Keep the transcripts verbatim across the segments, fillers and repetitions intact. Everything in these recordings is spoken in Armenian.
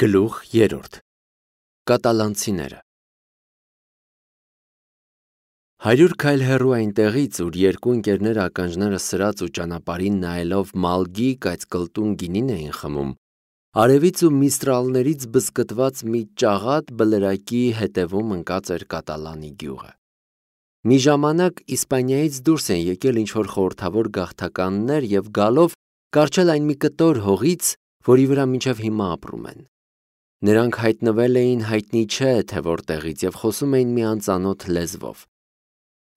Գլուխ երրորդ Կատալանցիները Հարյուր քայլ հեռու այնտեղից, ուր երկու ընկերներ ականջները սրած ու ճանապարհին նայելով մալգի կայծկլտուն գինին էին խմում, արևից ու միստրալներից բզկտված մի ճաղատ բլրակի հետևում ընկած էր Կատալանի գյուղը։ Մի ժամանակ Իսպանիայից դուրս են եկել ինչ-որ խորհրդավոր գաղթականներ և գալով կառչել այն մի կտոր հողից, որի վրա մինչև հիմա ապրում են։ Նրանք հայտնվել էին հայտնի չէ թե որտեղից և խոսում էին մի անծանոթ լեզվով։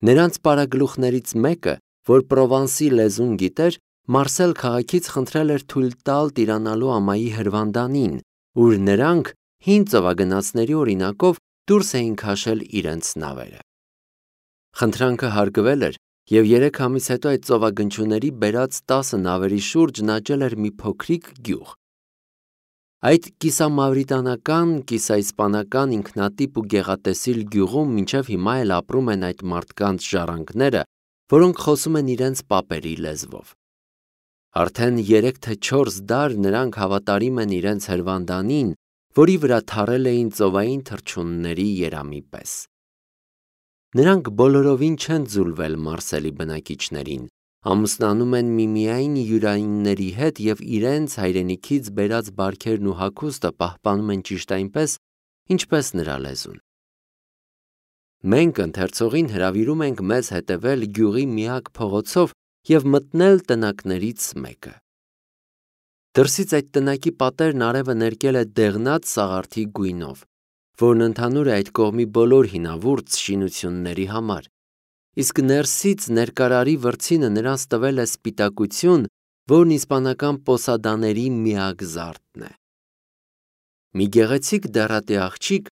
Նրանց պարագլուխներից մեկը, որ Պրովանսի լեզուն գիտեր, Մարսել քաղաքից խնդրել էր թույլ տալ տիրանալու ամայի հրվանդանին, ուր նրանք հին ծովագնացների օրինակով դուրս էին քաշել իրենց նավերը։ Խնդրանքը հարգվել էր, և երեք ամիս հետո այդ ծովագնչուների բերած տասը նավերի շուրջ նջել էր մի փոքրիկ գյուղ։ Այդ կիսամավրիտանական, կիսաիսպանական ինքնատիպ ու գեղատեսիլ գյուղում մինչև հիմա էլ ապրում են այդ մարդկանց ժառանգները, որոնք խոսում են իրենց պապերի լեզվով։ Արդեն երեք թե չորս դար նրանք հավատարիմ են իրենց հրվանդանին, որի վրա թառել էին ծովային թռչունների երամի պես։ Նրանք բոլորովին չեն ձուլվել Մարսելի բնակիչներին, ամուսնանում են միմիայն յուրայինների հետ և իրենց հայրենիքից բերած բարքերն ու հագուստը պահպանում են ճիշտ այնպես, ինչպես նրա լեզուն։ Մենք ընթերցողին հրավիրում ենք մեզ հետևել գյուղի միակ փողոցով և մտնել տնակներից մեկը։ Դրսից այդ տնակի պատերն արևը ներկել է դեղնած սաղարթի գույնով, որն ընդհանուր է այդ կողմի բոլոր հինավուրց շինությունների համար, իսկ ներսից ներկարարի վրձինը նրանց տվել է սպիտակություն, որն իսպանական պոսադաների միակ զարդն է։ Մի գեղեցիկ դեռատի աղջիկ,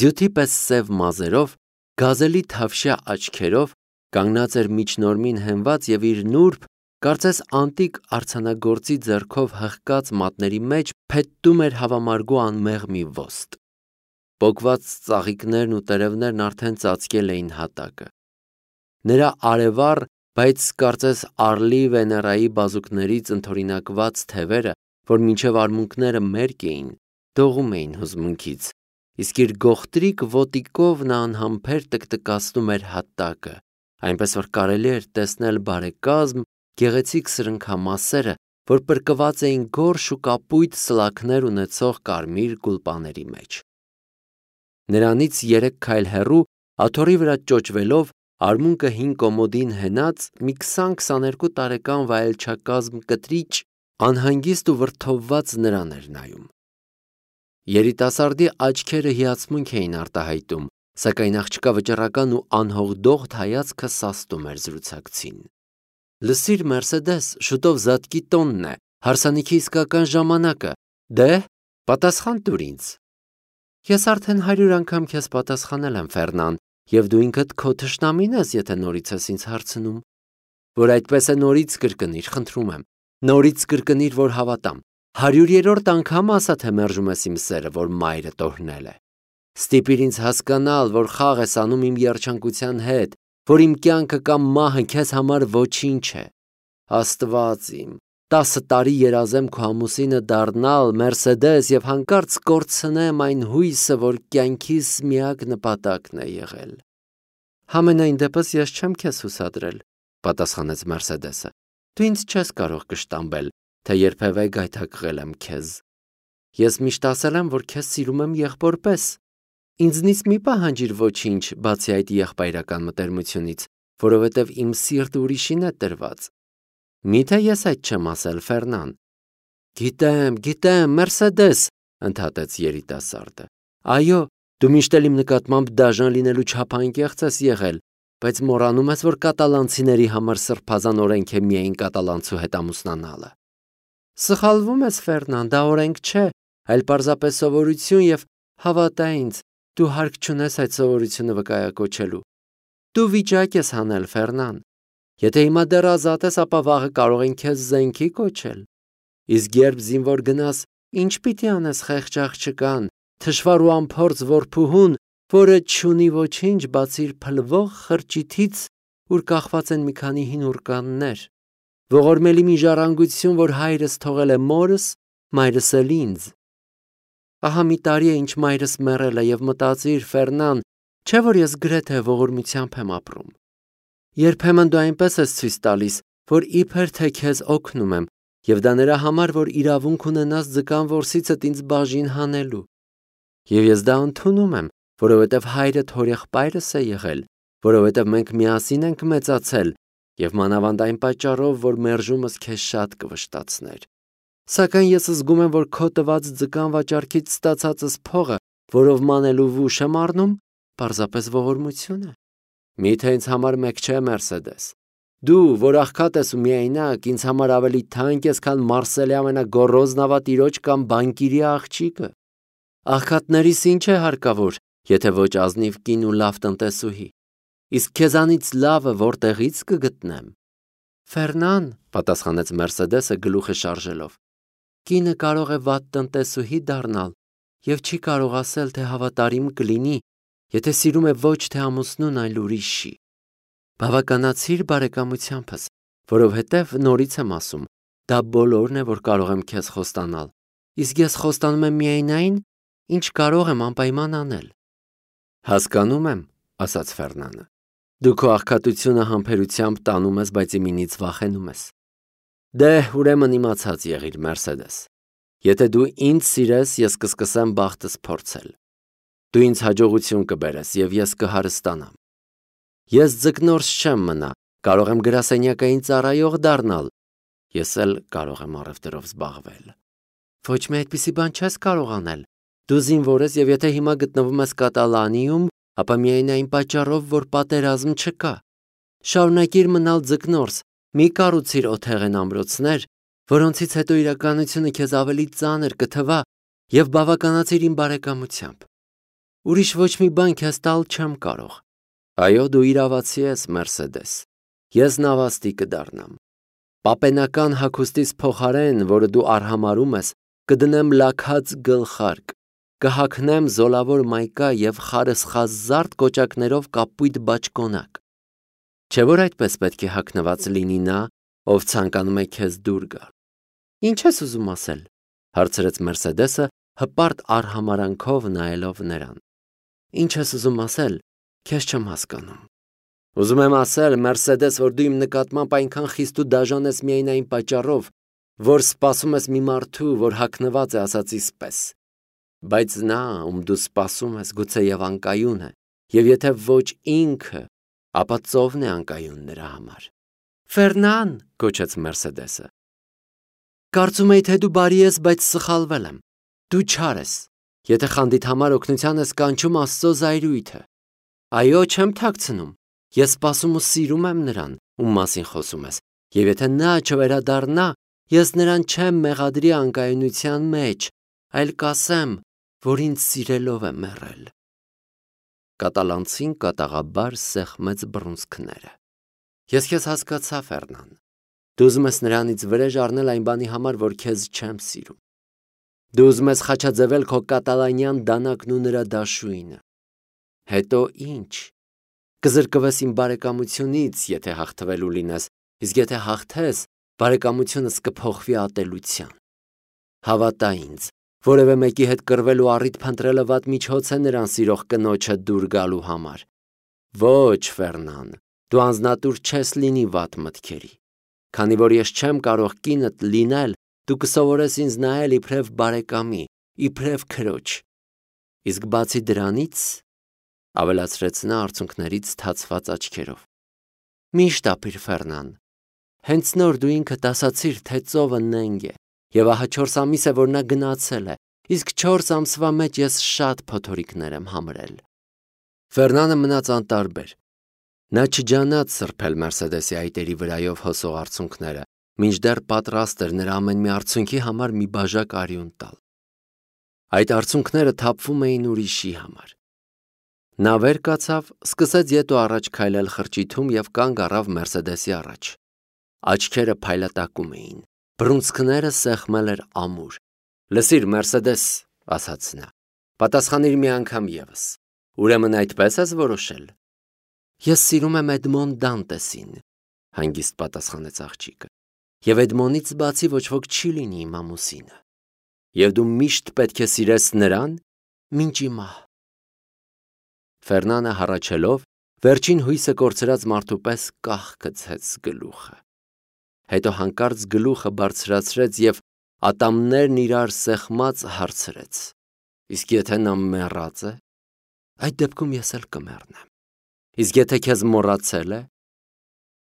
ձյութի պես սև մազերով, գազելի թավշյա աչքերով, կանգնած էր միջնորմին հենված և իր նուրբ, կարծես անտիկ արձանագործի ձեռքով հղկած մատների մեջ փետտում էր հավամարգու անմեղ մի ոստ։ Պոկված ծաղիկներն ու տերևներն արդեն ծածկել էին հատակը։ Նրա արևառ, բայց կարծես Արլի Վեներայի բազուկներից ընդօրինակված թևերը, որ մինչև արմունկները մերկ էին, դողում էին հուզմունքից, իսկ իր գողտրիկ ոտիկով նա անհամբեր տկտկացնում էր հատակը, այնպես որ կարելի էր տեսնել բարեկազմ, գեղեցիկ սրընքամասերը, որ պրկված էին գորշ ու կապույտ սլաքներ ունեցող կարմիր գուլպաների մեջ։ Նրանից երեք քայլ հեռու, աթոռի վրա ճոճվելով, արմունկը հին կոմոդին հենած մի քսան-քսաներկու տարեկան վայելչակազմ կտրիճ անհանգիստ ու վրդովված նրան էր նայում։ Երիտասարդի աչքերը հիացմունք էին արտահայտում, սակայն աղջկա վճռական ու անհողդողդ հայացքը սաստում էր զրուցակցին։ Լսիր, Մերսեդես, շուտով զատկի տոնն է, հարսանիքի իսկական ժամանակը, դե, պատասխան տուր ինձ։ Ես արդեն հարյուր անգամ քեզ պատասխանել եմ, Ֆերնան, և դու ինքդ քո թշնամին ես, եթե նորից ես ինձ հարցնում։ Որ այդպես է, նորից կրկնիր, խնդրում եմ, նորից կրկնիր, որ հավատամ։ Հարյուրերորդ անգամ ասա, թե մերժում ես իմ սերը, որ մայրդ օրհնել է։ Ստիպիր ինձ հասկանալ, որ խաղ ես անում իմ երջանկության հետ, որ իմ կյանքը կամ մահը քեզ համար ոչինչ է։ Աստված իմ, տասը տարի երազեմ քո ամուսինը դառնալ, Մերսեդես, և հանկարծ կորցնեմ այն հույսը, որ կյանքիս միակ նպատակն է եղել։ Համենայն դեպս ես չեմ քեզ հուսադրել, պատասխանեց Մերսեդեսը։ Դու ինձ չես կարող կշտամբել, թե երբևէ գայթակղել եմ քեզ։ Ես միշտ ասել եմ, որ քեզ սիրում եմ եղբոր պես։ Ինձնից մի պահանջիր ոչինչ, բացի այդ եղբայրական մտերմությունից, որովհետև իմ սիրտը ուրիշին է տրված։ Միթե ես այդ չեմ ասել, Ֆերնան։ Գիտեմ, գիտեմ, Մերսեդես, ընդհատեց երիտասարդը։ Այո, դու միշտ էլ իմ նկատմամբ դաժան լինելու չափանկեղծ ես եղել, բայց մոռանում ես, որ կատալանցիների համար սրբազան օրենք է միայն կատալանցու հետ ամուսնանալը։ Սխալվում ես, Ֆերնան, դա օրենք չէ, այլ պարզապես սովորություն և հավատա ինձ, դու հարկ չունես այդ սովորությունը վկայակոչելու։ Դու վիճակ ես հանել, Ֆերնան։ Եթե հիմա դեռ ազատ ես, ապա վաղը կարող են քեզ զենքի կոչել։ Իսկ երբ զինվոր գնաս, ինչ պիտի անես խեղճ աղջկան, թշվառ ու անփորձ որբուհուն, որը չունի ոչինչ, բացի իր փլվող խրճիթից, ուր կախված են մի քանի հին ուրկաններ, ողորմելի մի ժառանգություն, որ հայրս թողել է մորս, մայրս էլ ինձ։ Ահա մի տարի է ինչ մայրս մեռել է եւ մտածիր, Ֆերնան, չէ՞ որ ես գրեթե ողորմությամբ եմ ապրում։ Երբեմն դու այնպես ես ցույց տալիս, որ իբր թե քեզ օգնում եմ, եւ դա նրա համար, որ իրավունք ունենաս ձկան որսիցդ ինձ բաժին հանելու։ Եվ ես դա ընդունում եմ, որովհետեւ հայրդ հորեղբայրս է եղել, որովհետեւ մենք միասին ենք մեծացել, եւ մանավանդ այն պատճառով, որ մերժումս քեզ շատ կվշտացներ։ Սակայն ես զգում եմ, որ քո տված ձկան վաճառքից ստացածս փողը, որով մանելու վուշ եմ առնում, պարզապես ողորմություն է։ Միթե ինձ համար մեկ չէ, Մերսեդես։ Դու, որ աղքատ ես ու միայնակ, ինձ համար ավելի թանկ ես, քան Մարսելի ամենագոռոզ նավատիրոջ կամ բանկիրի աղջիկը։ Աղքատներիս ինչ է հարկավոր, եթե ոչ ազնիվ կին ու լավ տնտեսուհի։ Իսկ քեզանից լավը որտեղից կգտնեմ։ Ֆերնան, պատասխանեց Մերսեդեսը գլուխը շարժելով։ Կինը կարող է վատ տնտեսուհի դառնալ եւ չի կարող ասել, թե հավատարիմ կլինի, եթե սիրում է ոչ թե ամուսնուն, այլ ուրիշի։ Բավականացիր բարեկամությամբս, որովհետև նորից եմ ասում, դա բոլորն է, որ կարող եմ քեզ խոստանալ, իսկ ես խոստանում եմ միայն այն, ինչ կարող եմ անպայման անել։ Հասկանում եմ, ասաց Ֆերնանը։ Դու քո աղքատությունը համբերությամբ տանում ես, բայց իմինից վախենում ես։ Դե, ուրեմն իմացած եղիր, Մերսեդես։ Եթե դու ինձ սիրես, ես կսկսեմ բախտս փորձել։ Դու ինձ հաջողություն կբերես եւ ես կհարստանամ։ Ես ձկնորս չեմ մնա, կարող եմ գրասենյակային ծառայող դառնալ։ Ես էլ կարող եմ առևտրով զբաղվել։ Ոչ մի այդպիսի բան չես կարող անել։ Դու զինվոր ես եւ եթե հիմա գտնվում ես Կատալանիում, ապա միայն այն պատճառով, որ պատերազմ չկա։ Շարունակիր մնալ ձկնորս, մի կառուցիր օթեղեն ամրոցներ, որոնցից հետո իրականությունը քեզ ավելի ծանր կթվա եւ բավականացիր իմ բարեկամությամբ։ Ուրիշ ոչ մի բան քեզ տալ չեմ կարող։ Այո, դու իրավացի ես, Մերսեդես։ Ես նավաստի կդառնամ։ Պապենական հագուստից փոխարեն, որը դու արհամարում ես, կդնեմ լաքած գլխարկ, կհագնեմ զոլավոր մայկա եւ խարսխազարդ կոճակներով կապույտ բաճկոնակ։ Չէ՞ որ այդպես պետք է հագնված լինի նա, ով ցանկանում է քեզ դուր գալ։ Ինչ ես ուզում ասել, հարցրեց Մերսեդեսը, հպարտ արհամարանքով նայելով նրան։ Ինչ ես ուզում ասել, քեզ չեմ հասկանում։ Ուզում եմ ասել, Մերսեդես, որ դու իմ նկատմամբ այնքան խիստ ու դաժան ես միայն այն պատճառով, որ սպասում ես մի մարդու, որ հագնված է ասածիս պես։ Բայց նա, ում դու սպասում ես, գուցեև անկայուն է, եւ եթե ոչ ինքը, ապա ծովն է անկայուն նրա համար։ Ֆերնան, գոչեց Մերսեդեսը։ Կարծում էի, թե դու բարի ես, բայց սխալվել եմ։ Դու չար ես։ Եթե խանդիդ համար օգնության ես կանչում Աստծո զայրույթը։ Այո, չեմ թաքցնում։ Ես սպասում ու սիրում եմ նրան, ում մասին խոսում ես, եւ եթե նա չվերադառնա, ես նրան չեմ մեղադրի անկայունության մեջ, այլ կասեմ, որ ինձ սիրելով է մեռել։ Կատալանցին կատաղաբար սեղմեց բռունցքները։ Ես քեզ հասկացա, Ֆերնան։ Դու ուզում ես նրանից վրեժ առնել այն բանի համար, որ քեզ չեմ սիրում։ Դու ուզում ես խաչաձևել քո կատալանյան դանակն ու նրա դաշույնը։ Հետո ինչ։ Կզրկվես իմ բարեկամությունից, եթե հաղթվելու լինես, իսկ եթե հաղթես, բարեկամությունս կփոխվի ատելության։ Հավատա ինձ, որևէ մեկի հետ կռվելու առիթ փնտրելը վատ միջոց է նրան սիրող կնոջը դուր գալու համար։ Ոչ, Ֆերնան, դու անձնատուր չես լինի վատ մտքերի։ Քանի որ ես չեմ կարող կինդ լինել, դու կսովորես ինձ նայել իբրև բարեկամի, իբրև քրոջ։ Իսկ բացի դրանից, ավելացրեց նա արցունքներից թացված աչքերով։ Միշտ ապիր, Ֆերնան։ Հենց նոր դու ինքդ ասացիր, թե ծովը նենգ է, եւ ահա չորս ամիս է, որ նա գնացել է, իսկ չորս ամսվա մեջ ես շատ փոթորիկներ եմ համրել։ Ֆերնանը մնաց անտարբեր։ Նա չջանաց սրբել Մերսեդեսի այտերի վրայով հոսող արցունքները, մինչդեռ պատրաստ էր նրա ամեն մի արցունքի համար մի բաժակ արյուն տալ։ Այդ արցունքները թափվում էին ուրիշի համար։ Նա վեր կացավ, սկսեց ետ ու առաջ քայլել խրճիթում եւ կանգ առավ Մերսեդեսի առաջ։ Աչքերը փայլատակում էին, բռունցքները սեղմել էր ամուր։ Լսիր, Մերսեդես, ասաց նա, պատասխանիր մի անգամ եւս։ Ուրեմն այդպես ես որոշել։ Ես սիրում եմ Էդմոն Դանտեսին, հանգիստ պատասխանեց աղջիկը։ Եվ Էդմոնից բացի ոչ ոք չի լինի իմ ամուսինը։ և դու միշտ պետք է սիրես նրան, մինչ ի մահ։ Ֆերնանը հառաչելով, վերջին հույսը կորցրած մարդու պես կախ գցեց գլուխը։ Հետո հանկարծ գլուխը բարձրացրեց և ատամներն իրար սեղմած հարցրեց. Իսկ եթե նա մեռած է, այդ դեպքում ես էլ կմեռնեմ։ Իսկ եթե քեզ մոռացել է,